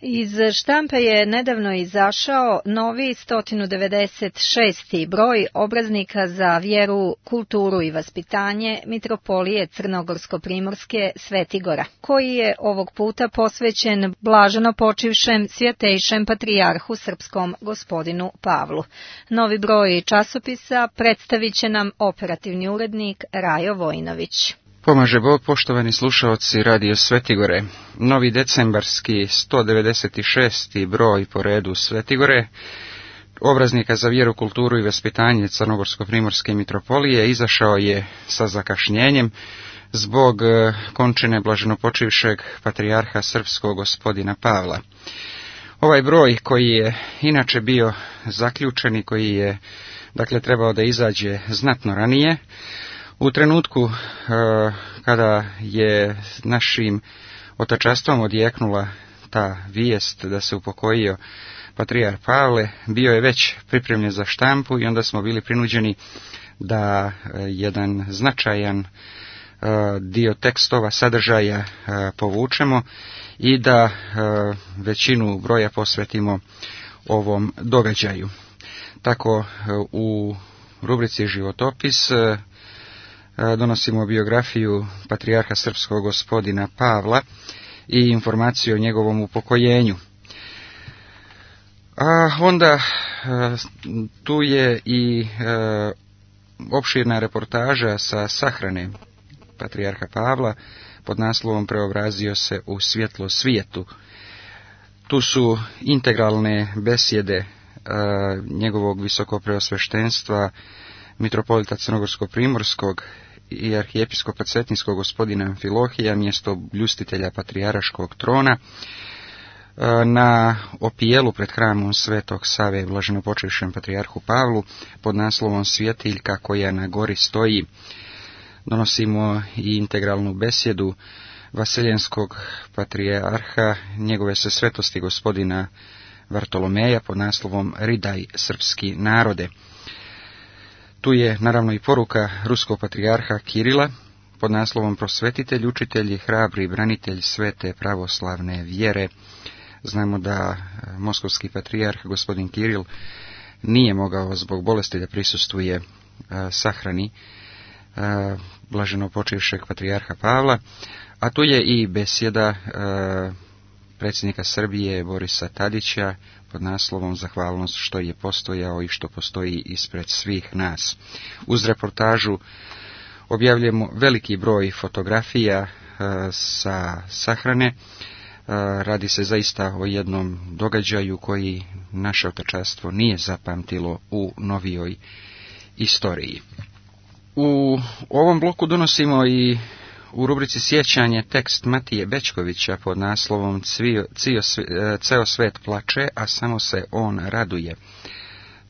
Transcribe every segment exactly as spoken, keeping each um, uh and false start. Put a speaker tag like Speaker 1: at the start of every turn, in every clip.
Speaker 1: Iz štampe je nedavno izašao novi sto devedeset šesti broj obraznika za vjeru, kulturu i vaspitanje Mitropolije Crnogorsko-primorske Svetigora, koji je ovog puta posvećen blaženo počivšem svjetejšem patrijarhu srpskom gospodinu Pavlu. Novi broj časopisa predstavit će nam operativni urednik Rajo Vojinović.
Speaker 2: Pomaže Bog, poštovani slušaoci Radio Svetigore. Novi decembarski sto devedeset šesti broj po redu Svetigore, obraznika za vjeru, kulturu i vaspitanje Crnogorsko-primorske mitropolije, izašao je sa zakašnjenjem zbog končine blaženopočivšeg patrijarha srpskog gospodina Pavla. Ovaj broj, koji je inače bio zaključen i koji je, dakle, trebao da izađe znatno ranije, u trenutku e, kada je našim otačastvom odjeknula ta vijest da se upokojio patrijarh Pavle, bio je već pripremljen za štampu i onda smo bili prinuđeni da e, jedan značajan e, dio tekstova, sadržaja e, povučemo i da e, većinu broja posvetimo ovom događaju. Tako e, u rubrici Životopis e, donosimo biografiju patrijarha srpskog gospodina Pavla i informaciju o njegovom upokojenju. A onda tu je i opširna reportaža sa sahrane patrijarha Pavla pod naslovom Preobrazio se u svjetlo svijetu. Tu su integralne besjede njegovog visokopreosveštenstva mitropolita Crnogorsko-primorskog i arhijepiskopa cetinskog gospodina Amfilohija, mjesto bljustitelja patrijaraškog trona, na opijelu pred hramom Svetog Save blaženopočivšem patrijarhu Pavlu pod naslovom Svjetiljka koja na gori stoji. Donosimo i integralnu besjedu vaseljenskog patrijarha, njegove se svetosti gospodina Vartolomeja pod naslovom Ridaj srpski narode. Tu je naravno i poruka ruskog patrijarha Kirila pod naslovom Prosvetitelj, učitelj i hrabri branitelj svete pravoslavne vjere. Znamo da moskovski patrijarh gospodin Kiril nije mogao zbog bolesti da prisustvuje a, sahrani a, blaženopočivšeg patrijarha Pavla, a tu je i besjeda a, predsjednika Srbije Borisa Tadića pod naslovom Zahvalnost što je postojao i što postoji ispred svih nas. Uz reportažu objavljujemo veliki broj fotografija e, sa sahrane. E, radi se zaista o jednom događaju koji naše otačanstvo nije zapamtilo u novijoj istoriji. U ovom bloku donosimo i u rubrici Sjećanje tekst Matije Bečkovića pod naslovom Cvio, cio, Ceo svet plače, a samo se on raduje.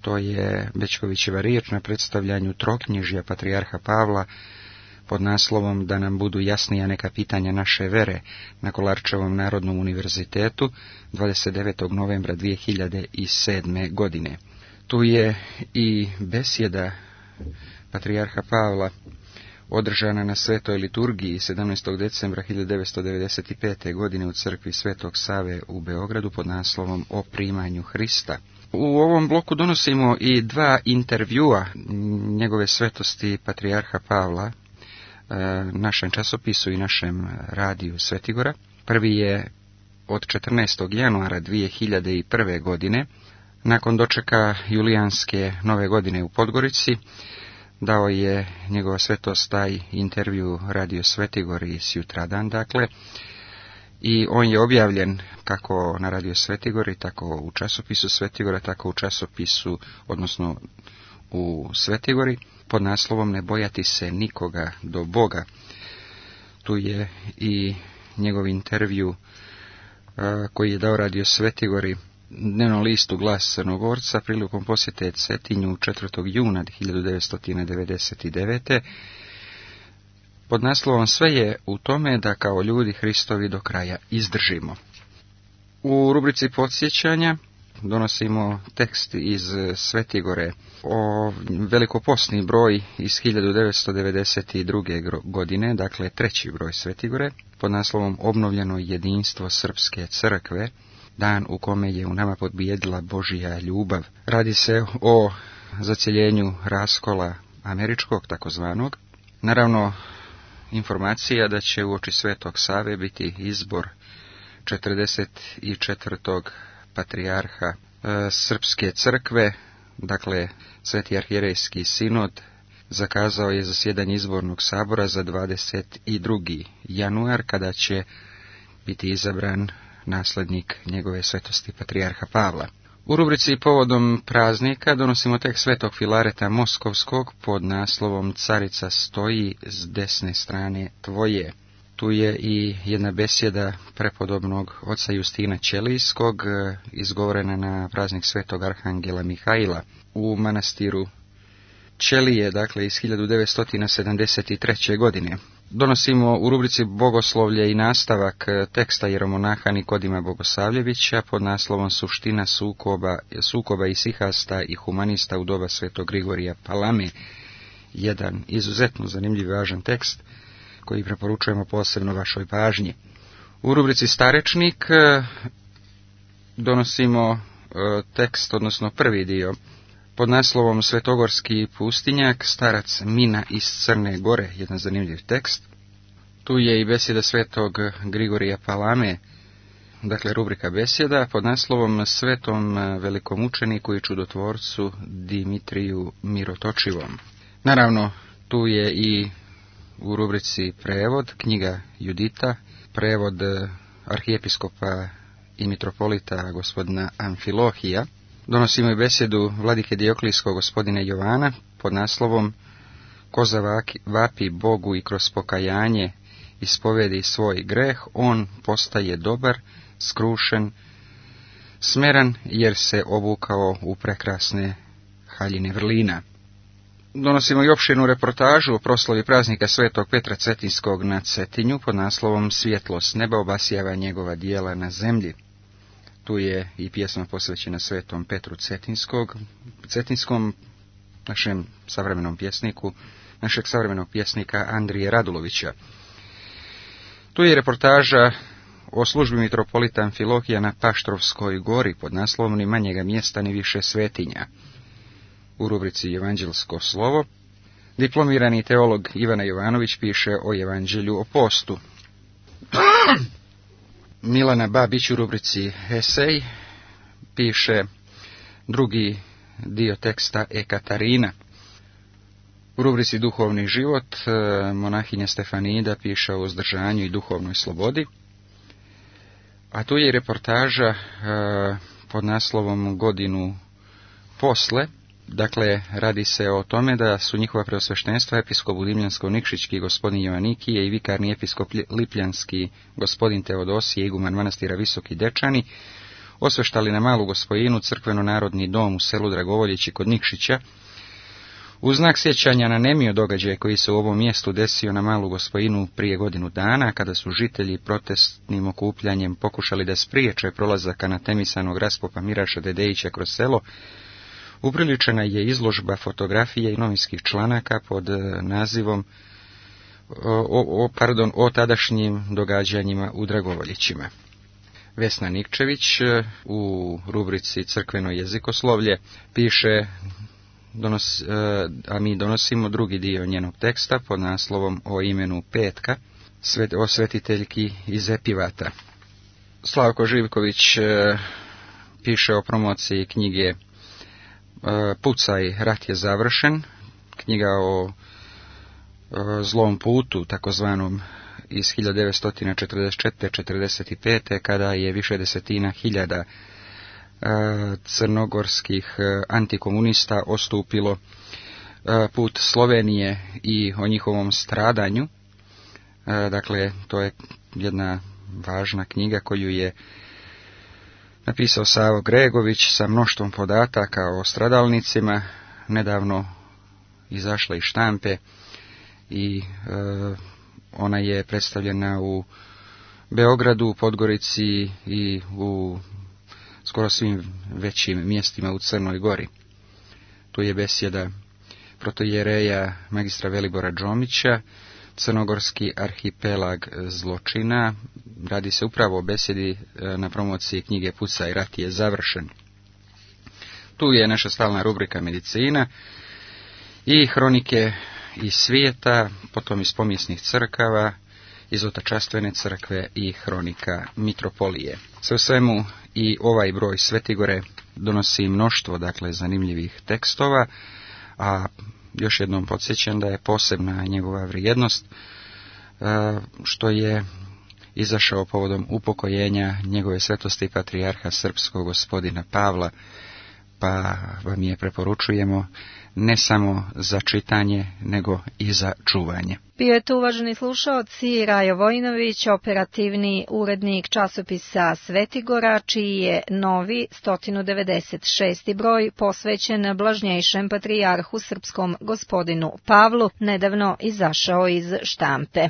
Speaker 2: To je Bečkovićeva riječ na predstavljanju troknjižja patrijarha Pavla pod naslovom Da nam budu jasnija neka pitanja naše vere na Kolarčevom narodnom univerzitetu dvadeset devetog novembra dvije hiljade sedme. godine. Tu je i besjeda patrijarha Pavla održana na svetoj liturgiji sedamnaestog decembra hiljadu devetsto devedeset pete. godine u crkvi Svetog Save u Beogradu pod naslovom O primanju Hrista. U ovom bloku donosimo i dva intervjua njegove svetosti patrijarha Pavla našem časopisu i našem radiju Svetigora. Prvi je od četrnaestog januara dvije hiljade prve. godine, nakon dočeka julijanske nove godine u Podgorici. Dao je njegova svetost taj intervju Radio Svetigori sutradan, dakle, i on je objavljen kako na Radio Svetigori, tako u časopisu Svetigora, tako u časopisu, odnosno u Svetigori, pod naslovom Ne bojati se nikoga do Boga. Tu je i njegov intervju a, koji je dao Radio Svetigori dnevnom listu Glas Crnogorca prilikom posjete Cetinju četvrtog juna hiljadu devetsto devedeset devete. pod naslovom Sve je u tome da kao ljudi Hristovi do kraja izdržimo. U rubrici podsjećanja donosimo tekst iz Svetigore o velikoposni broj iz hiljadu devetsto devedeset druge. godine, dakle treći broj Svetigore, pod naslovom Obnovljeno jedinstvo Srpske crkve, dan u kome je u nama pobijedila Božja ljubav. Radi se o zaceljenju raskola američkog, takozvanog. Naravno, informacija da će uoči Svetog Save biti izbor četrdeset četvrtog patrijarha e, Srpske crkve, dakle Sveti arhijerejski sinod zakazao je zasjedanje izbornog sabora za dvadeset drugi januar, kada će biti izabran naslednik njegove svetosti patrijarha Pavla. U rubrici povodom praznika donosimo tekst Svetog Filareta Moskovskog pod naslovom Carica stoji s desne strane tvoje. Tu je i jedna besjeda prepodobnog oca Justina Ćelijskog, izgovorena na praznik Svetog Arhangela Mihaila u manastiru Ćelije, dakle iz hiljadu devetsto sedamdeset treće. godine. Donosimo u rubrici Bogoslovlje i nastavak teksta jeromonaha Nikodima Bogosavljevića pod naslovom Suština sukoba, sukoba isihasta i humanista u doba Svetog Grigorija Palame. Jedan izuzetno zanimljiv i važan tekst koji preporučujemo posebno vašoj pažnji. U rubrici Starečnik donosimo tekst, odnosno prvi dio, pod naslovom Svetogorski pustinjak, starac Mina iz Crne Gore, jedan zanimljiv tekst. Tu je i besjeda Svetog Grigorija Palame, dakle rubrika besjeda, pod naslovom Svetom velikom učeniku i čudotvorcu Dimitriju Mirotočivom. Naravno, tu je i u rubrici prevod, knjiga Judita, prevod arhijepiskopa i mitropolita gospodina Amfilohija. Donosimo i besjedu vladike Dioklijskog gospodina Jovana pod naslovom Ko zavapi Bogu i kroz pokajanje ispovedi svoj greh, on postaje dobar, skrušen, smeran, jer se obukao u prekrasne haljine vrlina. Donosimo i opširnu reportažu o proslavi praznika Svetog Petra Cetinskog na Cetinju pod naslovom Svjetlost neba obasjava njegova dijela na zemlji. Tu je i pjesma posvećena Svetom Petru Cetinskog, Cetinskom, našem savremenom pjesniku, našeg savremenog pjesnika Andrije Radulovića. Tu je reportaža o službi mitropolita Amfilohija na Paštrovskoj gori pod naslovom Ni manjega mjesta ni više svetinja. U rubrici Evanđelsko slovo diplomirani teolog Ivana Jovanović piše o Evanđelju o postu. Milana Babić u rubrici Esej piše drugi dio teksta Ekatarina. U rubrici Duhovni život monahinja Stefanida piše o uzdržanju i duhovnoj slobodi. A tu je i reportaža pod naslovom Godinu posle. Dakle, radi se o tome da su njihova preosveštenstva episkop Budimljansko-Nikšićki gospodin Jovanikije i vikarni episkop Lipljanski gospodin Teodosije, iguman manastira Visoki Dečani, osveštali na Malu Gospojinu crkveno-narodni dom u selu Dragovoljeći kod Nikšića, u znak sjećanja na nemio događaj koji se u ovom mjestu desio na Malu Gospojinu prije godinu dana, kada su žitelji protestnim okupljanjem pokušali da spriječe prolazak anatemisanog raspopa Miraša Dedejića kroz selo. Upriličena je izložba fotografije i novinskih članaka pod nazivom o, o, pardon, o tadašnjim događanjima u Dragovoljićima. Vesna Nikčević u rubrici Crkveno jezikoslovlje piše, donos, a mi donosimo drugi dio njenog teksta pod naslovom o imenu Petka, svet, o svetiteljki iz Epivata. Slavko Živković piše o promociji knjige Pucaj, rat je završen, knjiga o zlom putu, takozvanom iz hiljadu devetsto četrdeset četvrte do četrdeset pete. kada je više desetina hiljada crnogorskih antikomunista ostupilo put Slovenije i o njihovom stradanju. Dakle, to je jedna važna knjiga koju je napisao Savo Gregović sa mnoštvom podataka o stradalnicima, nedavno izašla iz štampe i e, ona je predstavljena u Beogradu, u Podgorici i u skoro svim većim mjestima u Crnoj Gori. Tu je besjeda protoijereja magistra Velibora Džomića, Crnogorski arhipelag zločina. Radi se upravo o besedi na promociji knjige Pucaj, rat je završen. Tu je naša stalna rubrika medicina i hronike iz svijeta, potom iz pomijesnih crkava, iz otačastvene crkve i hronika mitropolije. Sve u svemu i ovaj broj Svetigore donosi mnoštvo, dakle, zanimljivih tekstova, a još jednom podsjećam da je posebna njegova vrijednost što je izašao povodom upokojenja njegove svetosti patrijarha srpskog gospodina Pavla, pa vam je preporučujemo ne samo za čitanje, nego i za čuvanje.
Speaker 1: Bio je tu, uvaženi slušaoci, Rajo Vojinović, operativni urednik časopisa Svetigora, čiji je novi sto devedeset šesti broj posvećen blažnjejšem patrijarhu srpskom gospodinu Pavlu nedavno izašao iz štampe.